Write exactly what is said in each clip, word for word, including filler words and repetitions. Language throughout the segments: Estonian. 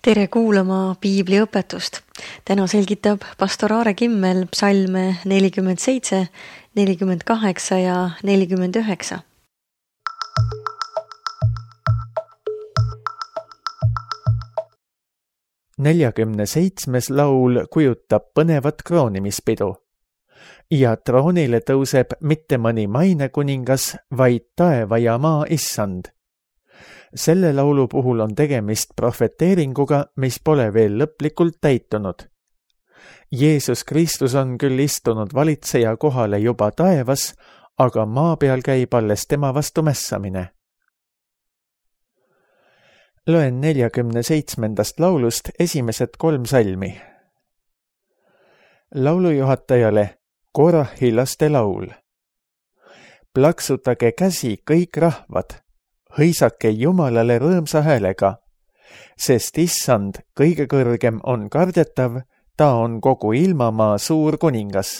Tere kuulama piibliõpetust. Täna selgitab pastor Aare Kimmel psalme nelikümmend seitse, nelikümmend kaheksa ja nelikümmend üheksa. neljakümne seitsmes laul kujutab põnevat kroonimispidu. Ja troonile tõuseb mitte mõni mainekuningas, vaid taeva ja maa issand. Selle laulu puhul on tegemist profeteeringuga, mis pole veel lõplikult täitunud. Jeesus Kristus on küll istunud valitseja kohale juba taevas, aga maa peal käib alles tema vastu mässamine. Loen neljakümne seitsmendast laulust esimesed kolm salmi. Laulujuhatajale Korahi laste laul. Plaksutage käsi kõik rahvad. Hõisake Jumalale rõõmsa häälega, sest issand kõige kõrgem on kardetav, ta on kogu ilmamaa suur kuningas.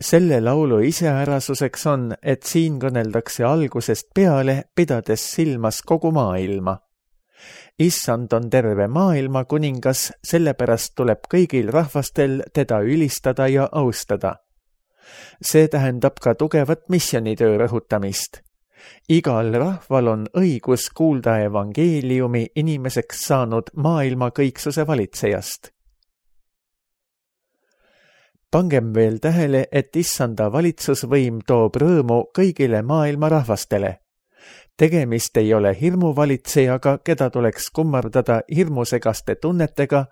Selle laulu iseärasuseks on, et siin kõneldakse algusest peale, pidades silmas kogu maailma. Issand on terve maailma kuningas, sellepärast tuleb kõigil rahvastel teda ülistada ja austada. See tähendab ka tugevat missioonitöö rõhutamist. Igal rahval on õigus kuulda evangeeliumi inimeseks saanud maailma kõiksuse valitsejast. Pangem veel tähele, et issanda valitsusvõim toob rõõmu kõigile maailma rahvastele. Tegemist ei ole hirmuvalitsejaga, keda tuleks kummardada hirmusegaste tunnetega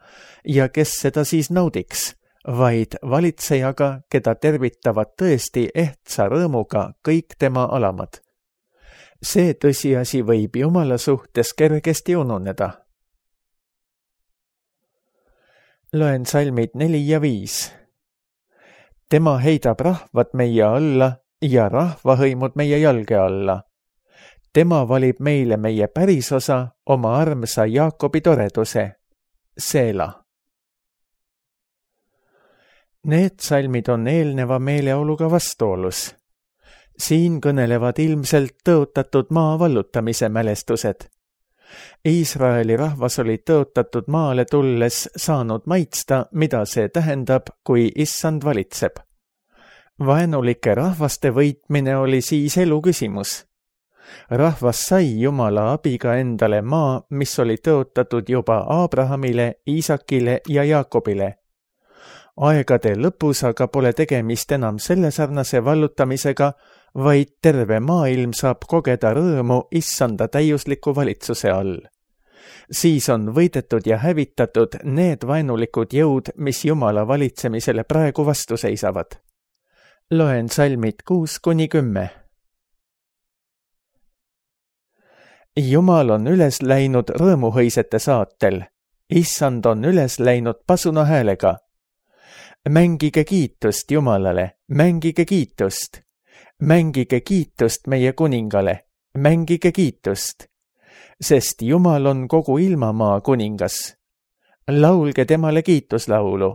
ja kes seda siis naudiks, vaid valitsejaga, keda tervitavad tõesti ehtsa rõõmuga kõik tema alamad. See tõsiasi võib Jumala suhtes kergesti ununeda. Loen salmid neli ja viis. Tema heidab rahvad meie alla ja rahvahõimud meie jalge alla. Tema valib meile meie pärisosa, oma armsa Jaakobi toreduse, Seela. Need salmid on eelneva meeleoluga vastuolus. Siin kõnelevad ilmselt tõotatud maa vallutamise mälestused. Iisraeli rahvas oli tõotatud maale tulles saanud maitsta, mida see tähendab, kui issand valitseb. Vaenulike rahvaste võitmine oli siis elu küsimus. Rahvas sai Jumala abiga endale maa, mis oli tõotatud juba Abrahamile, Iisakile ja Jaakobile. Aegade lõpus aga pole tegemist enam selle sarnase vallutamisega, vaid terve maailm saab kogeda rõõmu issanda täiusliku valitsuse all. Siis on võidetud ja hävitatud need vaenulikud jõud, mis Jumala valitsemisele praegu vastu seisavad. Loen salmid kuus kuni kümme. Jumal on üles läinud rõõmuhõisete saatel. Issand on üles läinud pasuna häälega. Mängige kiitust Jumalale, mängige kiitust. Mängige kiitust meie kuningale, mängige kiitust. Sest Jumal on kogu ilmamaa kuningas. Laulge temale kiituslaulu.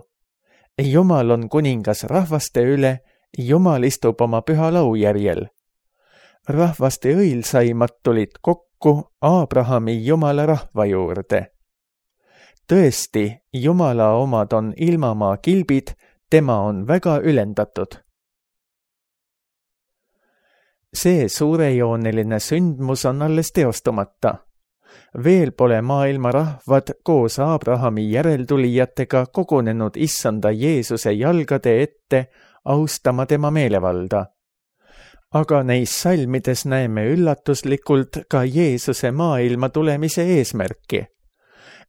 Jumal on kuningas rahvaste üle, Jumal istub oma püha laujärjel. Rahvaste õilsaimad tulid kokku Abrahami Jumala rahva juurde. Tõesti, Jumala omad on ilmamaa kilbid, tema on väga ülendatud. See suurejooneline sündmus on alles teostumata. Veel pole maailma rahvad koos Abrahami järeltulijatega kogunenud issanda Jeesuse jalgade ette austama tema meelevalda. Aga neis salmides näeme üllatuslikult ka Jeesuse maailma tulemise eesmärki.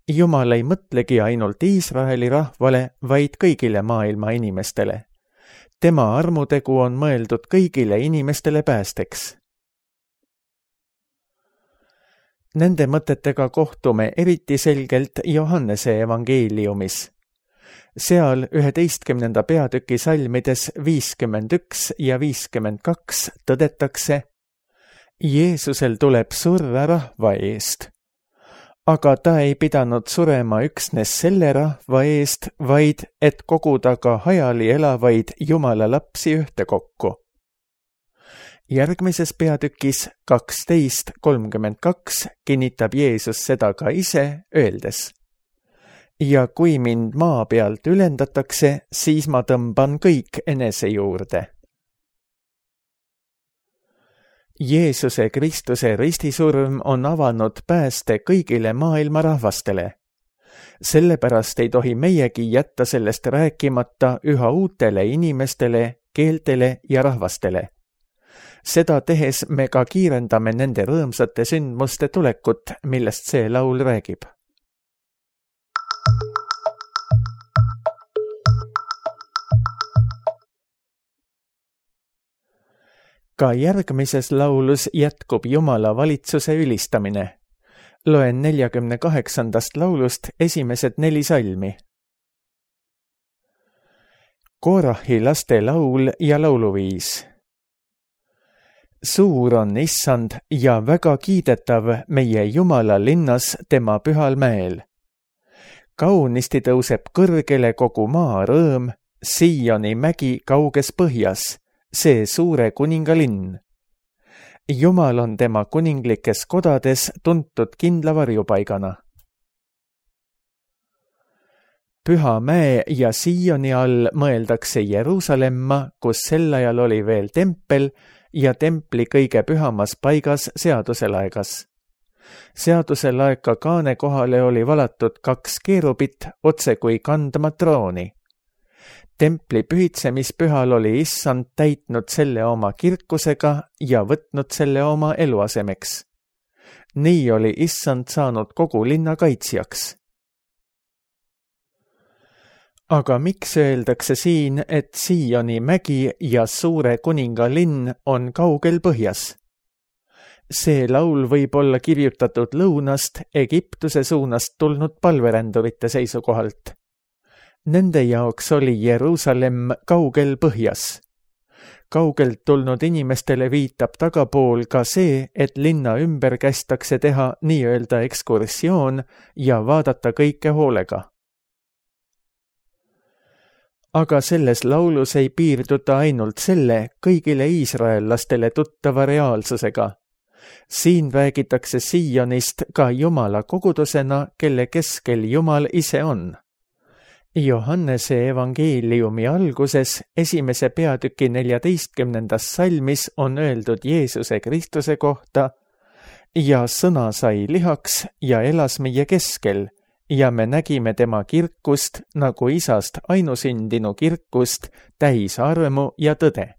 Jumal ei mõtlegi ainult Iisraeli rahvale, vaid kõigile maailma inimestele. Tema armutegu on mõeldud kõigile inimestele päästeks. Nende mõtetega kohtume eriti selgelt Johannese evangeeliumis. Seal üheteistkümnenda peatüki salmides viiskümmend üks ja viiskümmend kaks tõdetakse: Jeesusel tuleb surra rahva eest. Aga ta ei pidanud surema üksnes selle rahva eest, vaid et koguda ka hajali elavaid Jumala lapsi ühtekokku. järgmises peatükis kaksteist kolmkümmend kaks kinnitab Jeesus seda ka ise, öeldes: ja kui mind maa pealt ülendatakse, siis ma tõmban kõik enese juurde. Jeesuse Kristuse ristisurm on avanud pääste kõigile maailma rahvastele. Sellepärast ei tohi meiegi jätta sellest rääkimata üha uutele inimestele, keeltele ja rahvastele. Seda tehes me ka kiirendame nende rõõmsate sündmuste tulekut, millest see laul räägib. Ka järgmises laulus jätkub Jumala valitsuse ülistamine. Loen neljakümne kaheksandast laulust esimesed neli salmi. Korahi laste laul ja lauluviis. Suur on Issand ja väga kiidetav meie Jumala linnas tema pühal mäel. Kaunisti tõuseb kõrgele kogu maa rõõm, Sioni mägi kauges põhjas, see suure kuninga linn. Jumal on tema kuninglikes kodades tuntud kindla varjupaigana. Püha mäe ja Sioni all mõeldakse Jeruusalemma, kus sel ajal oli veel tempel ja templi kõige pühamas paigas seaduselaegas. Seaduselaeka kaane kohale oli valatud kaks keerubit otse kui kandma trooni. Templi pühitsemispühal oli Issand täitnud selle oma kirkusega ja võtnud selle oma eluasemeks. Nii oli Issand saanud kogu linna kaitsjaks. Aga miks öeldakse siin, et Sioni mägi ja suure kuninga linn on kaugel põhjas? See laul võib olla kirjutatud lõunast Egiptuse suunast tulnud palverändurite seisukohalt. Nende jaoks oli Jeruusalemm kaugel põhjas. Kaugelt tulnud inimestele viitab tagapool ka see, et linna ümber kästakse teha nii-öelda ekskursioon ja vaadata kõike hoolega. Aga selles laulus ei piirduta ainult selle kõigile iisraellastele tuttava reaalsusega. Siin räägitakse Sionist ka Jumala kogudusena, kelle keskel Jumal ise on. Johannese evangeeliumi alguses esimese peatüki neljateistkümnendas salmis on öeldud Jeesuse Kristuse kohta: ja sõna sai lihaks ja elas meie keskel ja me nägime tema kirkust nagu isast ainusündinu kirkust, täis armu ja tõde.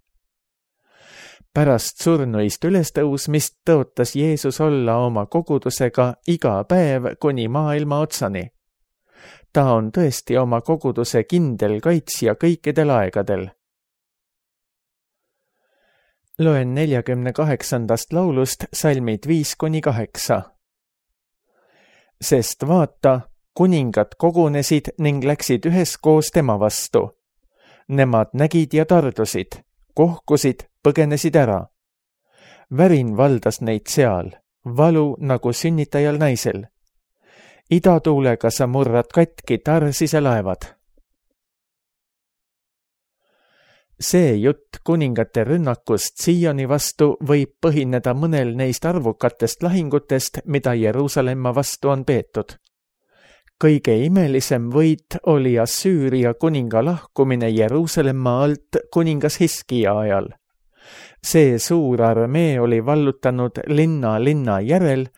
Pärast surnuist ülestõusmist tõotas Jeesus olla oma kogudusega iga päev kuni maailma otsani. Ta on tõesti oma koguduse kindel kaitsja kõikidel aegadel. Loen neljakümne kaheksandast laulust salmid viis kuni kaheksa. Sest vaata, kuningad kogunesid ning läksid üheskoos tema vastu. Nemad nägid ja tardusid, kohkusid, põgenesid ära. Värin valdas neid seal, valu nagu sünnitajal naisel. Idatuulega sa murrad katki tarsise laevad. See jutt kuningate rünnakust Sioni vastu võib põhineda mõnel neist arvukatest lahingutest, mida Jeruusalemma vastu on peetud. Kõige imelisem võit oli Assüüria kuninga lahkumine Jeruusalemma alt kuningas Hiskia ajal. See suur armee oli vallutanud linna linna järel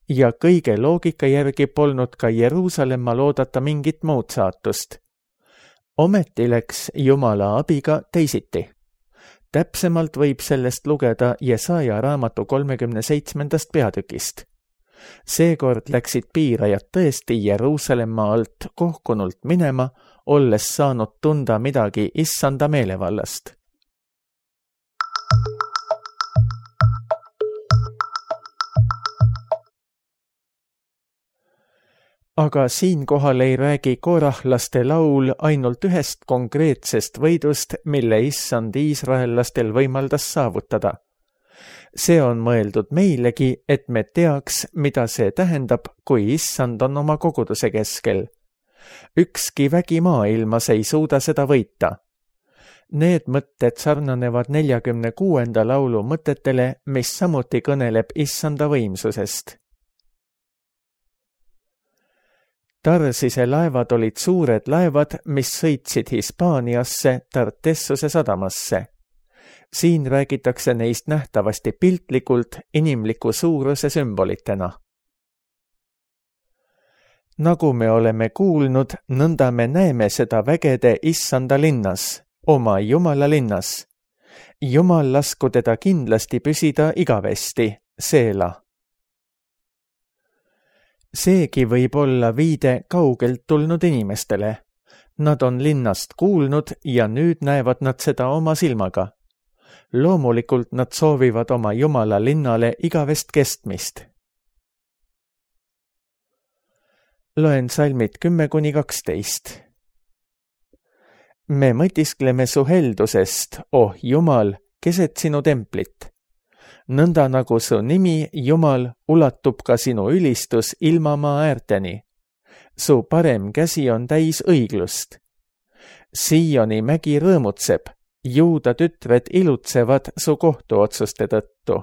ja kõige loogika järgi polnud ka Jeruusalemma loodata mingit muud saatust. Ometi läks Jumala abiga teisiti. Täpsemalt võib sellest lugeda Jesaja raamatu kolmekümne seitsmendast peatükist. Seekord läksid piirajad tõesti Jeruusalemma alt kohkunult minema, olles saanud tunda midagi Issanda meelevallast. Aga siinkohal ei räägi korahlaste laul ainult ühest konkreetsest võidust, mille Issand iisraellastel võimaldas saavutada. See on mõeldud meilegi, et me teaks, mida see tähendab, kui Issand on oma koguduse keskel. Ükski vägi maailmas ei suuda seda võita. Need mõtted sarnanevad neljakümne kuuenda laulu mõtetele, mis samuti kõneleb issanda võimsusest. Tarsise laevad olid suured laevad, mis sõitsid Hispaaniasse Tartessuse sadamasse. Siin räägitakse neist nähtavasti piltlikult inimliku suuruse sümbolitena. Nagu me oleme kuulnud, nõnda me näeme seda vägede issanda linnas, oma Jumala linnas. Jumal lasku teda kindlasti püsida igavesti, seela. Seegi võib olla viide kaugelt tulnud inimestele. Nad on linnast kuulnud ja nüüd näevad nad seda oma silmaga. Loomulikult nad soovivad oma Jumala linnale igavest kestmist. Loen salmid kümme kuni kaksteist. Me mõtiskleme su heldusest, oh Jumal, keset sinu templit. Nõnda nagu su nimi, Jumal, ulatub ka sinu ülistus ilmamaa äärteni. Su parem käsi on täis õiglust. Sioni mägi rõõmutseb, Juuda tütred ilutsevad su kohtuotsuste tõttu.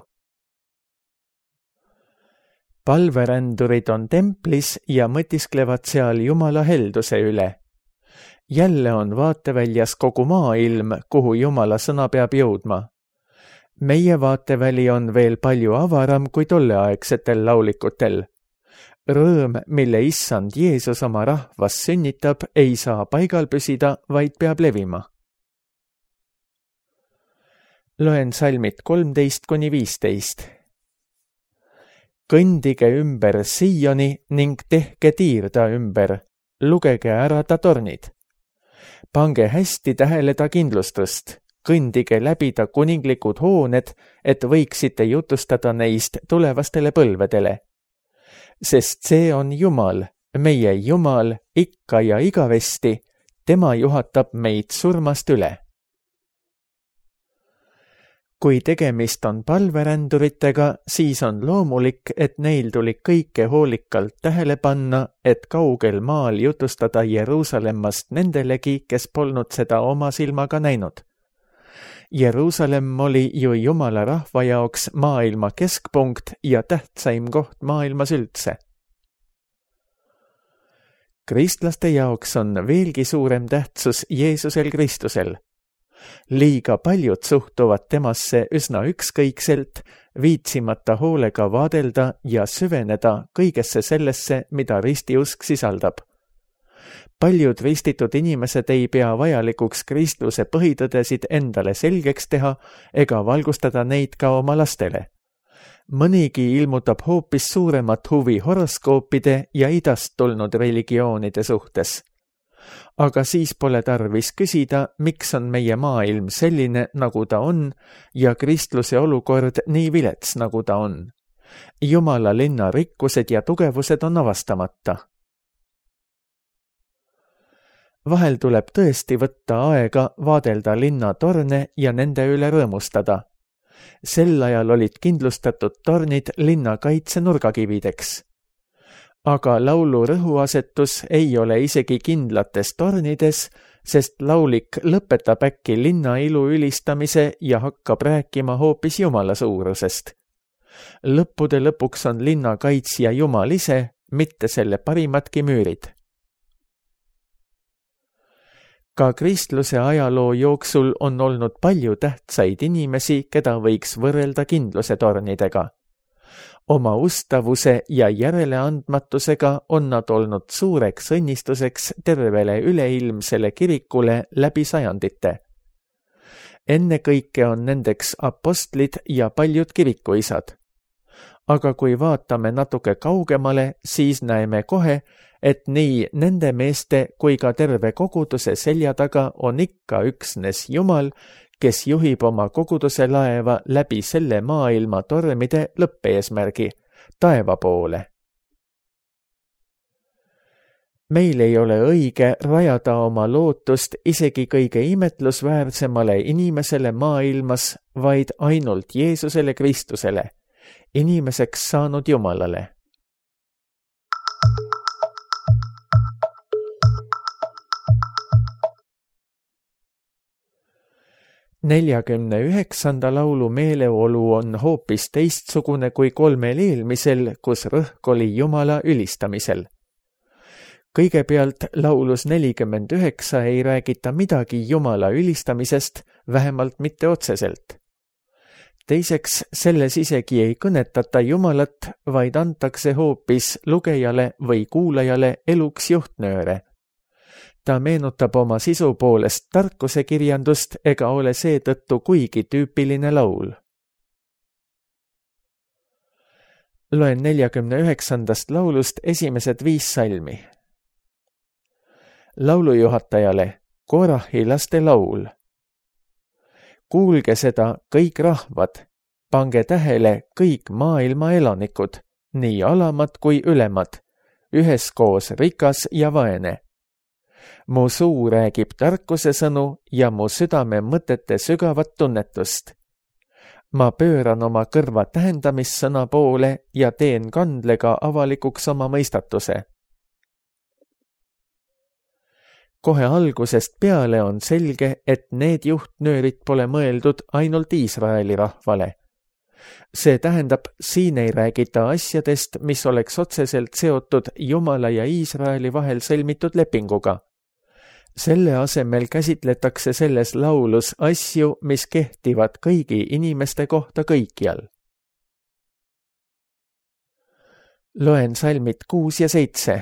Palverändurid on templis ja mõtisklevad seal Jumala helduse üle. Jälle on vaateväljas kogu maailm, kuhu Jumala sõna peab jõudma. Meie vaateväli on veel palju avaram kui tolleaegsetel laulikutel. Rõõm, mille issand Jeesus oma rahvas sünnitab, ei saa paigal püsida, vaid peab levima. Loen salmid kolmteist kuni viisteist. Kõndige ümber Sioni ning tehke tiirda ümber, lugege ära ta tornid. Pange hästi tähele ta kindlustust, kõndige läbi ta kuninglikud hooned, et võiksite jutustada neist tulevastele põlvedele. Sest see on Jumal, meie Jumal, ikka ja igavesti, tema juhatab meid surmast üle. Kui tegemist on palveränduritega, siis on loomulik, et neil tuli kõike hoolikalt tähele panna, et kaugel maal jutustada Jeruusalemmast nendelegi, kes polnud seda oma silmaga näinud. Jeruusalemm oli ju Jumala rahva jaoks maailma keskpunkt ja tähtsaim koht maailmas üldse. Kristlaste jaoks on veelgi suurem tähtsus Jeesusel Kristusel. Liiga paljud suhtuvad temasse üsna ükskõikselt, viitsimata hoolega vaadelda ja süveneda kõigesse sellesse, mida ristiusk sisaldab. Paljud ristitud inimesed ei pea vajalikuks kristluse põhitõdesid endale selgeks teha ega valgustada neid ka oma lastele. Mõnigi ilmutab hoopis suuremat huvi horoskoopide ja idast tulnud religioonide suhtes. Aga siis pole tarvis küsida, miks on meie maailm selline, nagu ta on, ja kristluse olukord nii vilets, nagu ta on. Jumala linna rikkused ja tugevused on avastamata. Vahel tuleb tõesti võtta aega vaadelda linna torne ja nende üle rõõmustada. Sel ajal olid kindlustatud tornid linna kaitse nurgakivideks. Aga laulu rõhuasetus ei ole isegi kindlates tornides, sest laulik lõpetab äkki linna ilu ülistamise ja hakkab rääkima hoopis Jumala suurusest. Lõppude lõpuks on linna kaitsja Jumal ise, mitte selle parimatki müürid. Ka kristluse ajaloo jooksul on olnud palju tähtsaid inimesi, keda võiks võrrelda kindluse tornidega. Oma ustavuse ja järeleandmatusega on nad olnud suureks õnnistuseks tervele üleilmsele kirikule läbi sajandite. Ennekõike on nendeks apostlid ja paljud kirikuisad. Aga kui vaatame natuke kaugemale, siis näeme kohe, et nii nende meeste kui ka terve koguduse selja taga on ikka üksnes Jumal, kes juhib oma koguduse laeva läbi selle maailma tormide lõppeesmärgi, taeva poole. Meil ei ole õige rajada oma lootust isegi kõige imetlusväärsemale inimesele maailmas, vaid ainult Jeesusele Kristusele, inimeseks saanud Jumalale. neljakümne üheksanda laulu meeleolu on hoopis teistsugune kui kolmel eelmisel, kus rõhk oli Jumala ülistamisel. Kõigepealt laulus nelikümmend üheksa ei räägita midagi Jumala ülistamisest, vähemalt mitte otseselt. Teiseks, selles isegi ei kõnetata Jumalat, vaid antakse hoopis lugejale või kuulajale eluks juhtnööre. Ta meenutab oma sisu poolest tarkuse kirjandust ega ole seetõttu kuigi tüüpiline laul. Loen neljakümne üheksandast laulust esimesed viis salmi. Laulujuhatajale Korahi laste laul. Kuulge seda kõik rahvad, pange tähele kõik maailma elanikud, nii alamad kui ülemad, üheskoos rikas ja vaene. Mu suu räägib tarkuse sõnu ja mu südame mõtete sügavat tunnetust. Ma pööran oma kõrva tähendamissõna poole ja teen kandlega avalikuks oma mõistatuse. Kohe algusest peale on selge, et need juhtnöörid pole mõeldud ainult Iisraeli rahvale. See tähendab, siin ei räägita asjadest, mis oleks otseselt seotud Jumala ja Iisraeli vahel sõlmitud lepinguga. Selle asemel käsitletakse selles laulus asju, mis kehtivad kõigi inimeste kohta kõikjal. Loen salmid kuus ja seitse.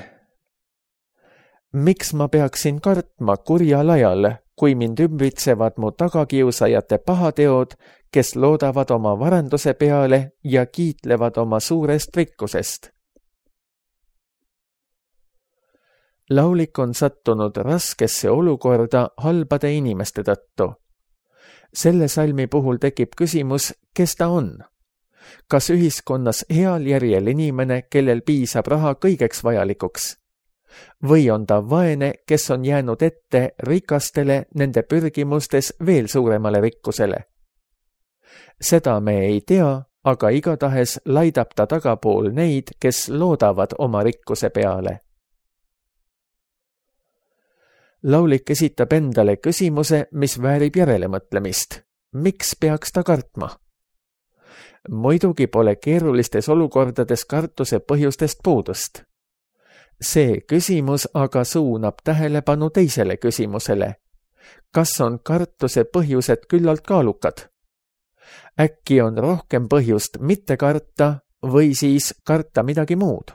Miks ma peaksin kartma kurjal ajal, kui mind ümbritsevad mu tagakiusajate pahateod, kes loodavad oma varanduse peale ja kiitlevad oma suurest rikkusest? Laulik on sattunud raskesse olukorda halbade inimeste tõttu. Selle salmi puhul tekib küsimus, kes ta on? Kas ühiskonnas heal järjel inimene, kellel piisab raha kõigeks vajalikuks? Või on ta vaene, kes on jäänud ette rikastele nende pürgimustes veel suuremale rikkusele? Seda me ei tea, aga igatahes laidab ta tagapool neid, kes loodavad oma rikkuse peale. Laulik esitab endale küsimuse, mis väärib järelemõtlemist. Miks peaks ta kartma? Muidugi pole keerulistes olukordades kartuse põhjustest puudust. See küsimus aga suunab tähelepanu teisele küsimusele. Kas on kartuse põhjused küllalt kaalukad? Äkki on rohkem põhjust mitte karta või siis karta midagi muud?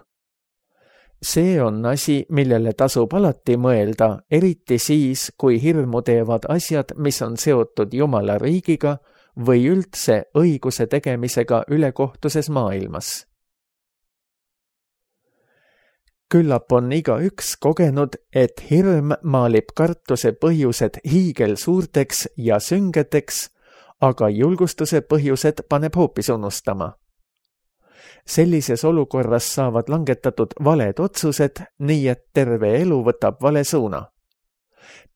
See on asi, millele tasub alati mõelda, eriti siis, kui hirmu teevad asjad, mis on seotud Jumala riigiga või üldse õiguse tegemisega ülekohtuses maailmas. Küllap on igaüks kogenud, et hirm maalib kartuse põhjused hiigel suurteks ja süngeteks, aga julgustuse põhjused paneb hoopis unustama. Sellises olukorras saavad langetatud valed otsused, nii et terve elu võtab vale suuna.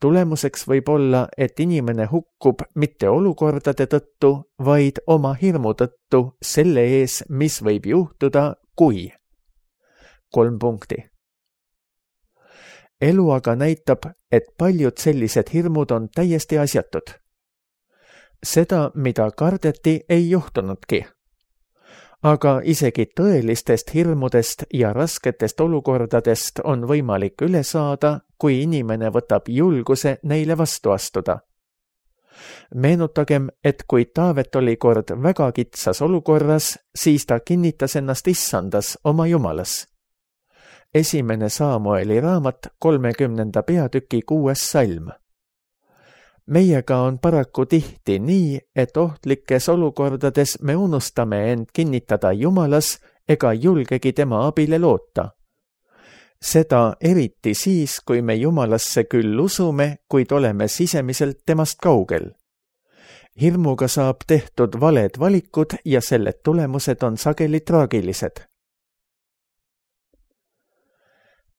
Tulemuseks võib olla, et inimene hukkub mitte olukordade tõttu, vaid oma hirmu tõttu selle ees, mis võib juhtuda, kui. Kolm punkti. Elu aga näitab, et paljud sellised hirmud on täiesti asjatud. Seda, mida kardeti, ei juhtunudki. Aga isegi tõelistest hirmudest ja rasketest olukordadest on võimalik üle saada, kui inimene võtab julguse neile vastu astuda. Meenutagem, et kui Taavet oli kord väga kitsas olukorras, siis ta kinnitas ennast issandas oma Jumalas. Esimene Saamueli raamat kolmekümnenda peatüki kuues salm. Meiega on paraku tihti nii, et ohtlikes olukordades me unustame end kinnitada Jumalas ega julgegi tema abile loota. Seda eriti siis, kui me Jumalasse küll usume, kuid oleme sisemiselt temast kaugel. Hirmuga saab tehtud valed valikud ja selle tulemused on sageli traagilised.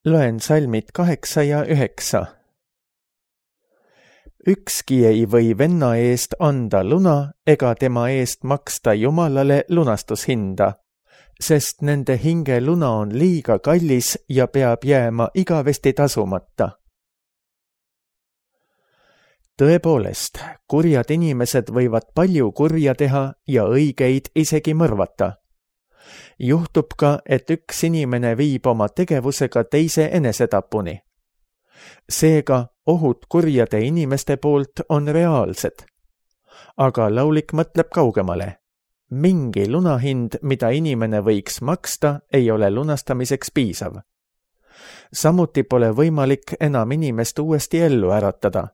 Loen salmid kaheksa ja üheksa. Ükski ei või venna eest anda luna ega tema eest maksta Jumalale lunastushinda, sest nende hinge luna on liiga kallis ja peab jääma igavesti tasumata. tõepoolest, kurjad inimesed võivad palju kurja teha ja õigeid isegi mõrvata. Juhtub ka, et üks inimene viib oma tegevusega teise enesetapuni. Seega ohud kurjade inimeste poolt on reaalsed. Aga laulik mõtleb kaugemale. Mingi lunahind, mida inimene võiks maksta, ei ole lunastamiseks piisav. Samuti pole võimalik enam inimest uuesti ellu äratada.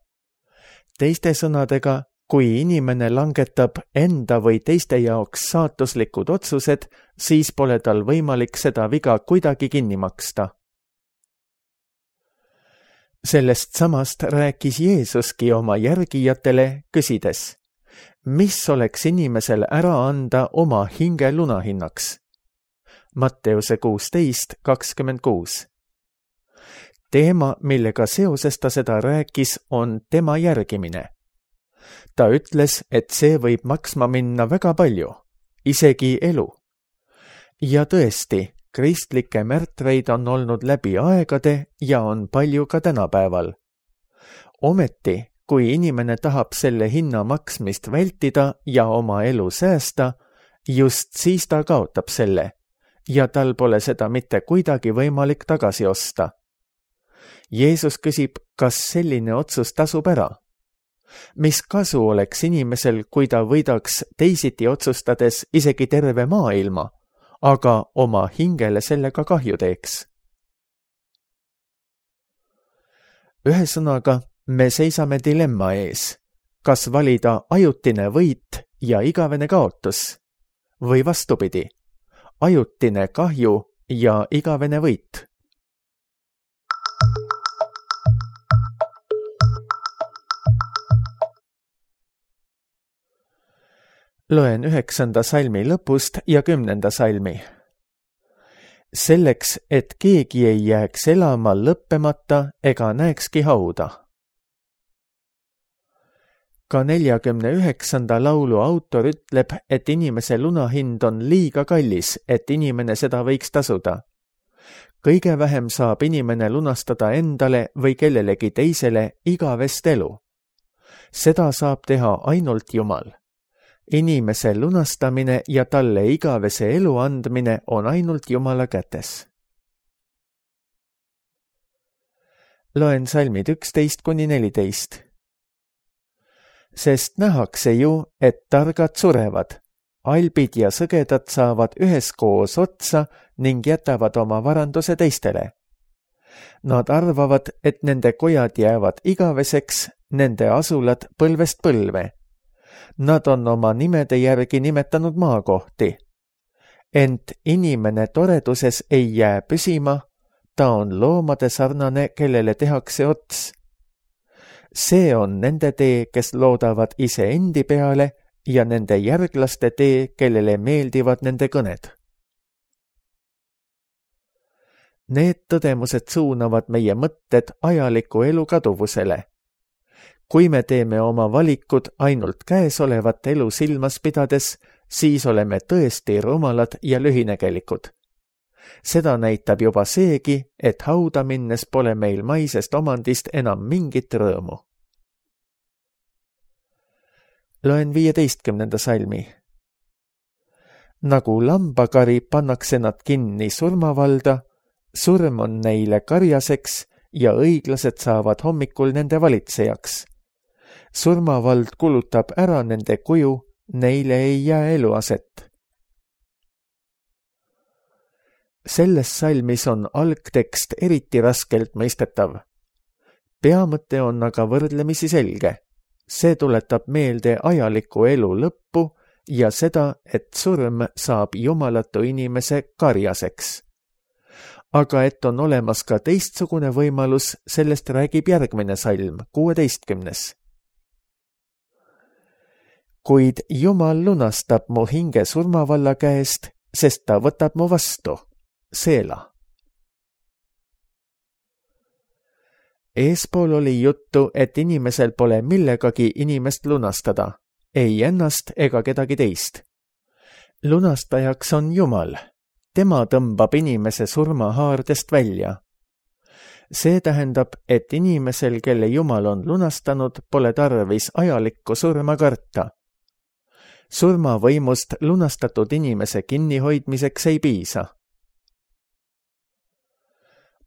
Teiste sõnadega, kui inimene langetab enda või teiste jaoks saatuslikud otsused, siis pole tal võimalik seda viga kuidagi kinni maksta. Sellest samast rääkis Jeesuski oma järgijatele, küsides, mis oleks inimesel ära anda oma hinge lunahinnaks? Matteuse kuusteist kakskümmend kuus. Teema, millega seoses ta seda rääkis, on tema järgimine. Ta ütles, et see võib maksma minna väga palju, isegi elu. Ja tõesti, kristlikke märtreid on olnud läbi aegade ja on palju ka tänapäeval. Ometi, kui inimene tahab selle hinna maksmist vältida ja oma elu säästa, just siis ta kaotab selle ja tal pole seda mitte kuidagi võimalik tagasi osta. Jeesus küsib, kas selline otsus tasub ära? Mis kasu oleks inimesel, kui ta võidaks teisiti otsustades isegi terve maailma, aga oma hingele sellega kahju teeks? Ühesõnaga, me seisame dilemma ees, kas valida ajutine võit ja igavene kaotus või vastupidi, ajutine kahju ja igavene võit. Loen üheksanda salmi lõpust ja kümnenda salmi. Selleks, et keegi ei jääks elama lõppemata ega näekski hauda. Ka neljakümne üheksanda laulu autor ütleb, et inimese lunahind on liiga kallis, et inimene seda võiks tasuda. Kõige vähem saab inimene lunastada endale või kellelegi teisele igavest elu. Seda saab teha ainult Jumal. Inimese lunastamine ja talle igavese elu andmine on ainult Jumala kätes. Loen salmid üksteist kuni neliteist. Sest nähakse ju, et targad surevad, albid ja sõgedad saavad üheskoos otsa ning jätavad oma varanduse teistele. Nad arvavad, et nende kojad jäävad igaveseks, nende asulad põlvest põlve. Nad on oma nimede järgi nimetanud maakohti. Ent inimene toreduses ei jää püsima, ta on loomade sarnane, kellele tehakse ots. See on nende tee, kes loodavad iseendi peale ja nende järglaste tee, kellele meeldivad nende kõned. Need tõdemused suunavad meie mõtted ajaliku elu kaduvusele. Kui me teeme oma valikud ainult käesolevat elu silmas pidades, siis oleme tõesti rumalad ja lühinägelikud. Seda näitab juba seegi, et hauda minnes pole meil maisest omandist enam mingit rõõmu. Loen viieteistkümnenda salmi. Nagu lambakari pannakse nad kinni surmavalda, surm on neile karjaseks ja õiglased saavad hommikul nende valitsejaks. Surmavald kulutab ära nende kuju, neile ei jää eluaset. Selles salmis on algtekst eriti raskelt mõistetav. Peamõte on aga võrdlemisi selge. See tuletab meelde ajaliku elu lõppu ja seda, et surm saab jumalatu inimese karjaseks. Aga et on olemas ka teistsugune võimalus, sellest räägib järgmine salm, kuueteistkümnes. Kuid Jumal lunastab mu hinge surmavalla käest, sest ta võtab mu vastu. Seela. Eespool oli juttu, et inimesel pole millegagi inimest lunastada, ei ennast ega kedagi teist. Lunastajaks on Jumal. Tema tõmbab inimese surmahaardest välja. See tähendab, et inimesel, kelle Jumal on lunastanud, pole tarvis ajalikku surma karta. Surmavõimust lunastatud inimese kinnihoidmiseks ei piisa.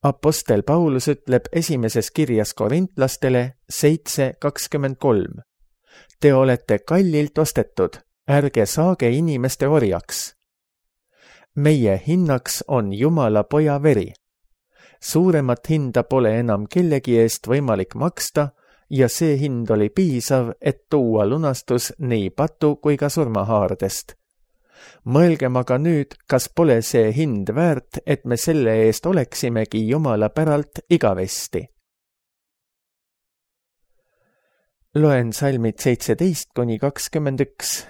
Apostel Paulus ütleb esimeses kirjas korintlastele seitse kakskümmend kolm. Te olete kallilt ostetud, ärge saage inimeste orjaks. Meie hinnaks on Jumala poja veri. Suuremat hinda pole enam kellegi eest võimalik maksta ja see hind oli piisav, et tuua lunastus nii patu kui ka surmahaardest. Mõelgem aga nüüd, kas pole see hind väärt, et me selle eest oleksimegi Jumala päralt igavesti. Loen salmid seitseteist kuni kakskümmend üks.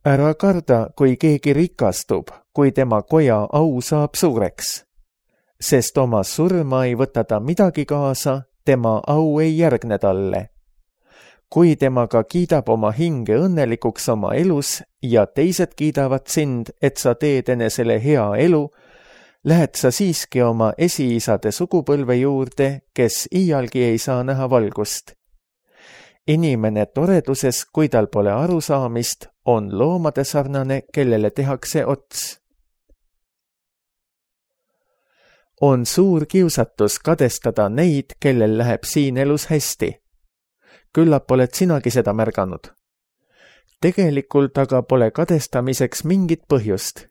Ära karda, kui keegi rikastub, kui tema koja au saab suureks. Sest oma surma ei võta ta midagi kaasa, tema au ei järgne talle. Kui temaga kiidab oma hinge õnnelikuks oma elus ja teised kiidavad sind, et sa teed enesele hea elu, lähed sa siiski oma esiisade sugupõlve juurde, kes iialgi ei saa näha valgust. Inimene toreduses, kui tal pole arusaamist, on loomade sarnane, kellele tehakse ots. On suur kiusatus kadestada neid, kellel läheb siin elus hästi. Küllap oled sinagi seda märganud. Tegelikult aga pole kadestamiseks mingit põhjust.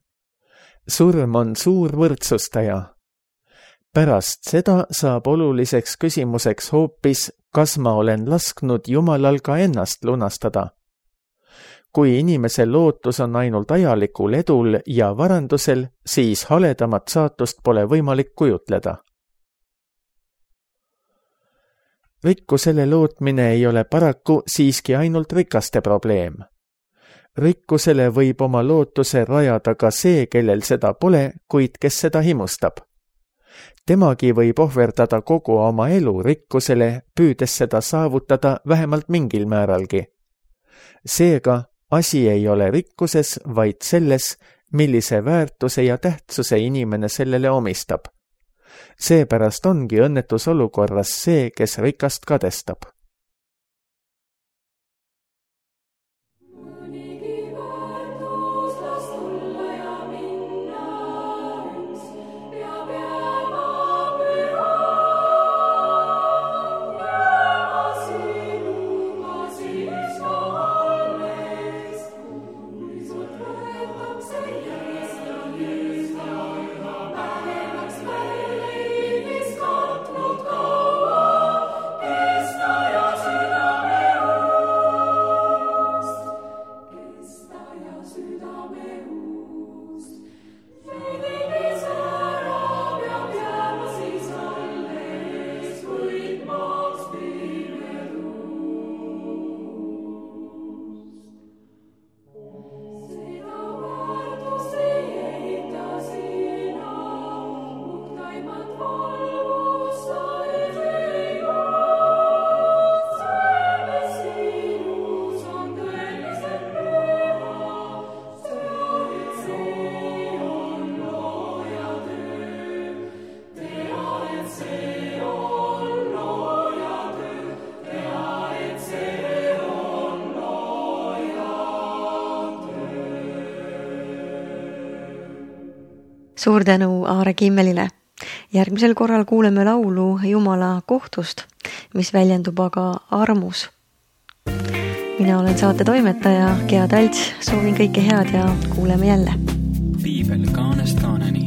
Surm on suur võrdsustaja. Pärast seda saab oluliseks küsimuseks hoopis, kas ma olen lasknud Jumalal ka ennast lunastada. Kui inimese lootus on ainult ajalikul edul ja varandusel, siis haledamat saatust pole võimalik kujutleda. Rikkusele lootmine ei ole paraku siiski ainult rikaste probleem. Rikkusele võib oma lootuse rajada ka see, kellel seda pole, kuid kes seda himustab. Temagi võib ohverdada kogu oma elu rikkusele, püüdes seda saavutada vähemalt mingil määralgi. Seega, asi ei ole rikkuses, vaid selles, millise väärtuse ja tähtsuse inimene sellele omistab. Seepärast ongi õnnetus olukorras see, kes rikast kadestab. Suur tänu Aare Kimmelile. Järgmisel korral kuuleme laulu Jumala kohtust, mis väljendub aga armus. Mina olen saate toimetaja Gea Talts, soovin kõike head ja kuuleme jälle. Piibel kaanest kaaneni.